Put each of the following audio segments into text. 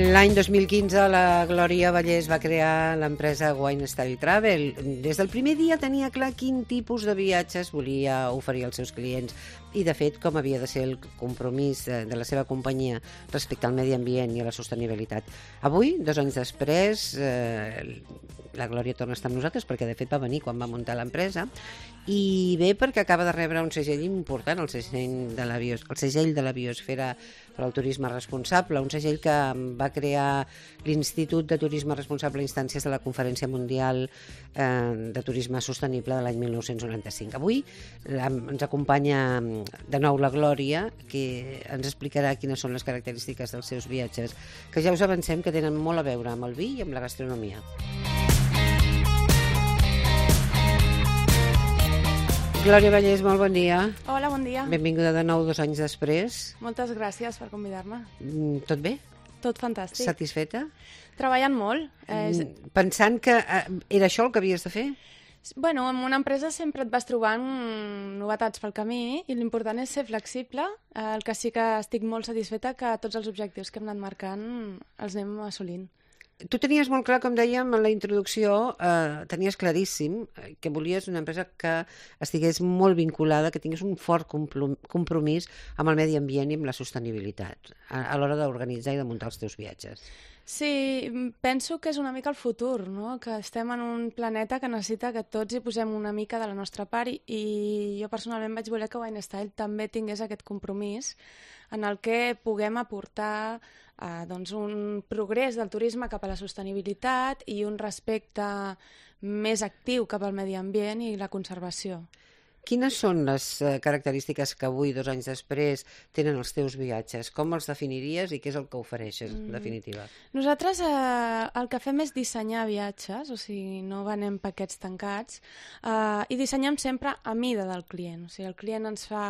L'any 2015 la Glòria Vallès va crear l'empresa Wine Style Travel. Des del primer dia tenia clar quin tipus de viatges volia oferir als seus clients i, de fet, com havia de ser el compromís de la seva companyia respecte al medi ambient i a la sostenibilitat. Avui, 2 anys després, la Glòria torna a estar amb nosaltres perquè, de fet, va venir quan va muntar l'empresa i ve perquè acaba de rebre un segell important, el segell de la biosfera per al turisme responsable, un segell que va crear l'Institut de Turisme Responsable a instàncies de la Conferència Mundial de Turisme Sostenible de l'any 1995. Avui ens acompanya de nou la Glòria, que ens explicarà quines són les característiques dels seus viatges, que ja us avancem que tenen molt a veure amb el vi i amb la gastronomia. Glòria Vallès, molt bon dia. Hola, bon dia. Benvinguda de nou 2 anys després. Moltes gràcies per convidar-me. Tot bé? Tot fantàstic. Satisfeta? Treballant molt. Pensant que era això el que havies de fer? Bueno, en una empresa sempre et vas trobant novetats pel camí i l'important és ser flexible. El que sí que estic molt satisfeta que tots els objectius que hem anat marcant els anem assolint. Tu tenies molt clar, com dèiem en la introducció, tenies claríssim que volies una empresa que estigués molt vinculada, que tingués un fort compromís amb el medi ambient i amb la sostenibilitat a l'hora d'organitzar i de muntar els teus viatges. Sí, penso que és una mica el futur, no? Que estem en un planeta que necessita que tots hi posem una mica de la nostra part i jo personalment vaig voler que Wine Style també tingués aquest compromís en el que puguem aportar doncs un progrés del turisme cap a la sostenibilitat i un respecte més actiu cap al medi ambient i la conservació. Quines són les característiques que avui, 2 anys després, tenen els teus viatges? Com els definiries i què és el que ofereixes, en definitiva? Nosaltres el que fem és dissenyar viatges, o sigui, no venem paquets tancats, i dissenyem sempre a mida del client. O sigui, el client ens fa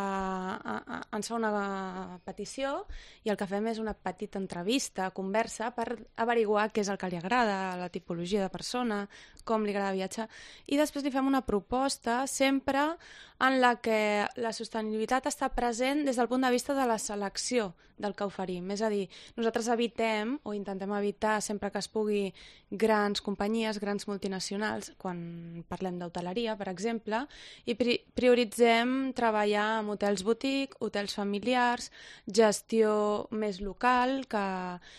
una petició i el que fem és una petita entrevista, conversa, per averiguar què és el que li agrada, la tipologia de persona, com li agrada viatjar, i després li fem una proposta sempre en la que la sostenibilitat està present des del punt de vista de la selecció del que oferim. És a dir, nosaltres evitem o intentem evitar sempre que es pugui grans companyies, grans multinacionals, quan parlem d'hoteleria, per exemple, i prioritzem treballar amb hotels boutique, hotels familiars, gestió més local, que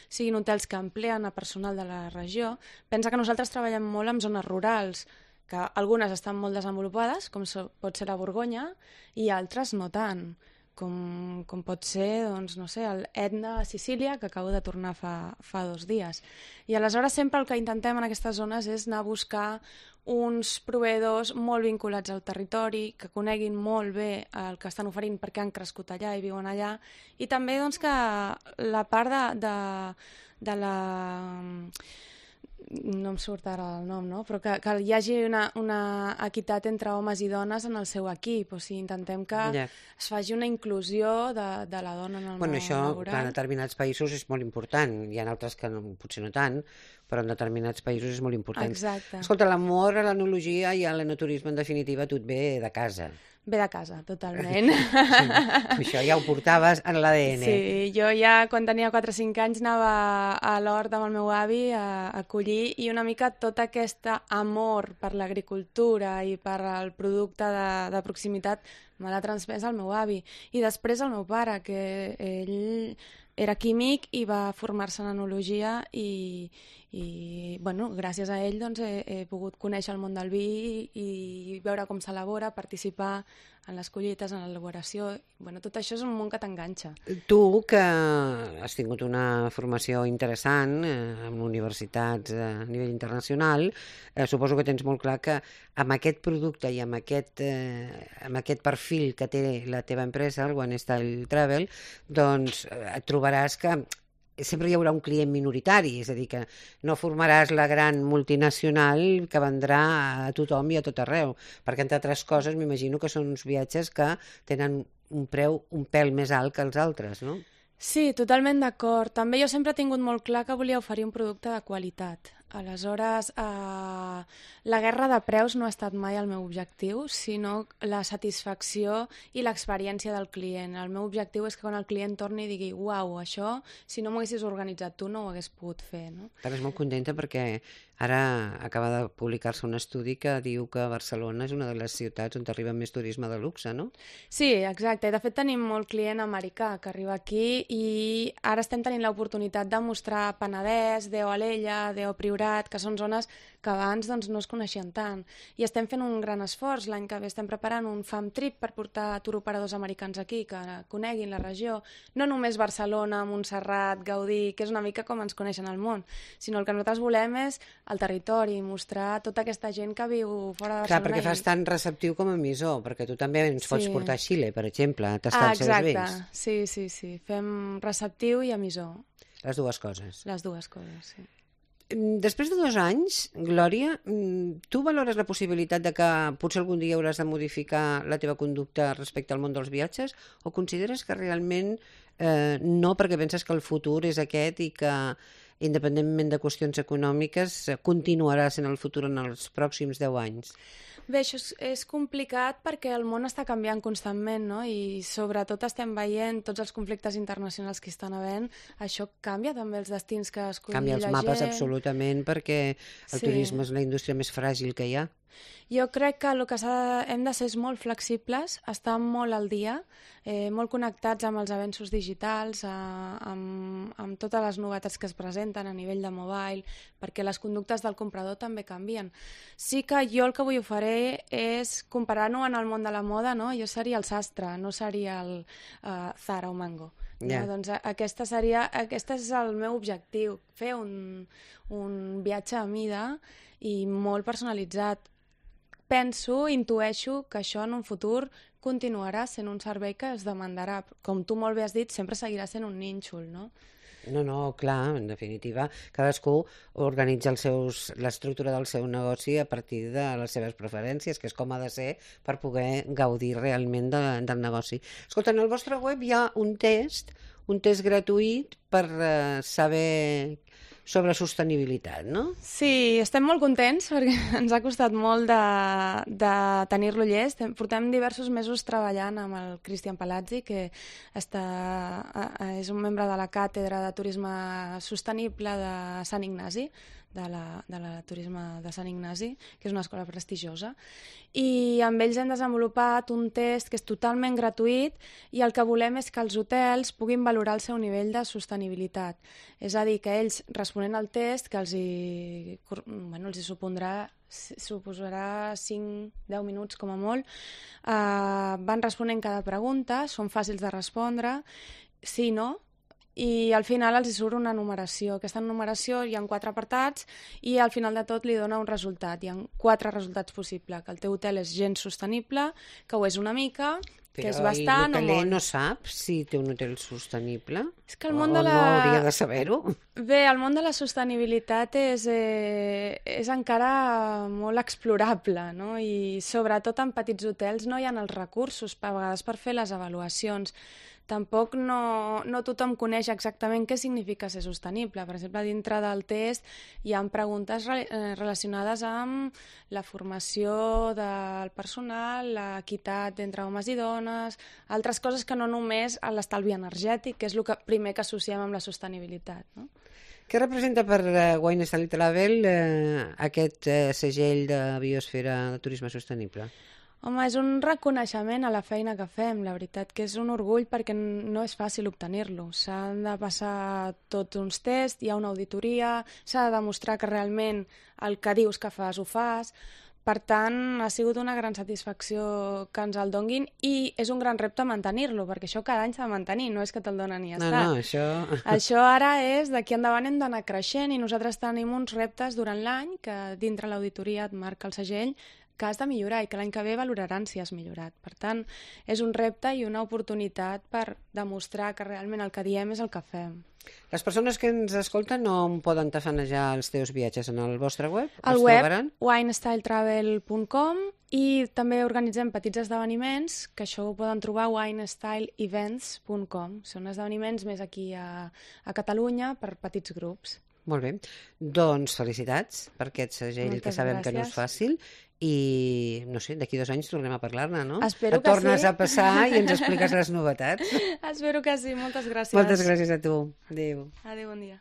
siguin hotels que empleen a personal de la regió. Pensa que nosaltres treballem molt amb zones rurals, que algunes estan molt desenvolupades, com pot ser la Borgonya, i altres no tant, com pot ser, doncs, no sé, el Etna a Sicília, que acabo de tornar fa 2 dies. I aleshores sempre el que intentem en aquestes zones és anar a buscar uns proveïdors molt vinculats al territori, que coneguin molt bé el que estan oferint perquè han crescut allà i viuen allà, i també doncs, que la part de la... no em surt ara el nom, no? Però que hi hagi una equitat entre homes i dones en el seu equip. O sigui, intentem que es faci una inclusió de la dona en el món això, laboral. Clar, en determinats països és molt important. Hi ha altres que potser no tant, però en determinats països és molt important. Exacte. Escolta, l'amor a l'enologia i a l'enoturisme, en definitiva, tu et ve de casa. Ve de casa, totalment. Sí, això ja ho portaves en l'ADN. Sí, jo ja quan tenia 4 o 5 anys anava a l'hort amb el meu avi a collir i una mica tot aquest amor per l'agricultura i per al producte de proximitat me l'ha transmès el meu avi. I després el meu pare, que ell era químic i va formar-se en enologia i bueno, gràcies a ell doncs, he pogut conèixer el món del vi i veure com s'elabora, participar en les collites, en l'elaboració. Bueno, tot això és un món que t'enganxa. Tu, que has tingut una formació interessant en universitats a nivell internacional, suposo que tens molt clar que amb aquest producte i amb aquest perfil que té la teva empresa, el Wine Style Travel, doncs et trobaràs que sempre hi haurà un client minoritari, és a dir, que no formaràs la gran multinacional que vendrà a tothom i a tot arreu, perquè entre altres coses m'imagino que són uns viatges que tenen un preu un pèl més alt que els altres, no? Sí, totalment d'acord. També jo sempre he tingut molt clar que volia oferir un producte de qualitat. Aleshores, la guerra de preus no ha estat mai el meu objectiu, sinó la satisfacció i l'experiència del client. El meu objectiu és que quan el client torni i digui «Uau, això, si no m'ho haguessis organitzat tu, no ho hagués pogut fer». No? Estàs molt contenta perquè ara acaba de publicar-se un estudi que diu que Barcelona és una de les ciutats on arriba més turisme de luxe, no? Sí, exacte. I de fet tenim molt client americà que arriba aquí i ara estem tenint l'oportunitat de mostrar Penedès, Deo Alella, Deo Priorat, que són zones que abans doncs, no es coneixien tant. I estem fent un gran esforç. L'any que ve estem preparant un fam trip per portar turoperadors americans aquí, que coneguin la regió. No només Barcelona, Montserrat, Gaudí, que és una mica com ens coneixen al món, sinó el que nosaltres volem és el territori, mostrar tota aquesta gent que viu fora de Barcelona. Clar, perquè fas tan receptiu com emissor, perquè tu també ens pots portar a Xile, per exemple, a tastar els seus vins. Sí. Fem receptiu i emissor. Les dues coses. Les dues coses, sí. Després de 2 anys, Glòria, tu valores la possibilitat de que potser algun dia hauràs de modificar la teva conducta respecte al món dels viatges o consideres que realment no, perquè penses que el futur és aquest i que independentment de qüestions econòmiques continuarà sent el futur en els pròxims 10 anys? Bé, això és complicat perquè el món està canviant constantment, no? I sobretot estem veient tots els conflictes internacionals que estan havent. Això canvia també els destins que escolli la gent. Canvia els mapes absolutament perquè el turisme és la indústria més fràgil que hi ha. Jo crec que el que hem de ser és molt flexibles, estar molt al dia, molt connectats amb els avenços digitals, amb totes les novetats que es presenten a nivell de mobile, perquè les conductes del comprador també canvien. Sí que jo el que avui ho faré és comparar-ho en el món de la moda, no? Jo seria el sastre, no seria el Zara o Mango. Yeah. No? Doncs aquest és el meu objectiu, fer un viatge a mida i molt personalitzat. Intueixo que això en un futur continuarà sent un servei que es demandarà. Com tu molt bé has dit, sempre seguirà sent un nínxol, no? No, clar, en definitiva, cadascú organitza l'estructura del seu negoci a partir de les seves preferències, que és com ha de ser per poder gaudir realment del negoci. Escolta, en el vostre web hi ha un test gratuït per saber sobre sostenibilitat, no? Sí, estem molt contents perquè ens ha costat molt de tenir-lo llest. Portem diversos mesos treballant amb el Cristian Palazzi, que és un membre de la càtedra de turisme sostenible de Sant Ignasi, de la turisme de Sant Ignasi, que és una escola prestigiosa, i amb ells hem desenvolupat un test que és totalment gratuït i el que volem és que els hotels puguin valorar el seu nivell de sostenibilitat. És a dir, que ells, responent al test, que els suposarà 5-10 minuts com a molt, van responent cada pregunta, són fàcils de respondre, sí, no, i al final els surt una numeració. Aquesta numeració hi ha 4 apartats i al final de tot li dona un resultat. Hi ha 4 resultats possibles, que el teu hotel és gens sostenible, que ho és una mica, que és bastant o molt. Però l'hoteler no sap si té un hotel sostenible? És que el món de no hauria de saber-ho? Bé, el món de la sostenibilitat és encara molt explorable, no? I sobretot en petits hotels no hi ha els recursos a vegades per fer les avaluacions. Tampoc no tothom coneix exactament què significa ser sostenible. Per exemple, dintre del test hi ha preguntes relacionades amb la formació del personal, l'equitat entre homes i dones, altres coses que no només l'estalvi energètic, que és el primer que associem amb la sostenibilitat, no? Què representa per Wine Style Travel aquest segell de biosfera de turisme sostenible? Home, és un reconeixement a la feina que fem, la veritat que és un orgull perquè no és fàcil obtenir-lo. S'han de passar tots uns tests, hi ha una auditoria, s'ha de demostrar que realment el que dius que fas ho fas. Per tant, ha sigut una gran satisfacció que ens el donguin i és un gran repte mantenir-lo, perquè això cada any s'ha de mantenir, no és que te'l donen i ja està. No, això... Això ara és, d'aquí endavant hem d'anar creixent i nosaltres tenim uns reptes durant l'any que dintre l'auditoria et marca el segell que has de millorar i que l'any que ve valoraran si has millorat. Per tant, és un repte i una oportunitat per demostrar que realment el que diem és el que fem. Les persones que ens escolten no poden tafanejar els teus viatges en el vostre web? Al web, winestyletravel.com, i també organitzem petits esdeveniments, que això ho poden trobar a winestyleevents.com. Són esdeveniments més aquí a Catalunya per petits grups. Molt bé. Doncs felicitats per aquest segell que sabem que no és fàcil i, no sé, d'aquí 2 anys tornem a parlar-ne, no? Espero que sí. Et tornes a passar i ens expliques les novetats. Espero que sí. Moltes gràcies. Moltes gràcies a tu. Adéu. Adéu, bon dia.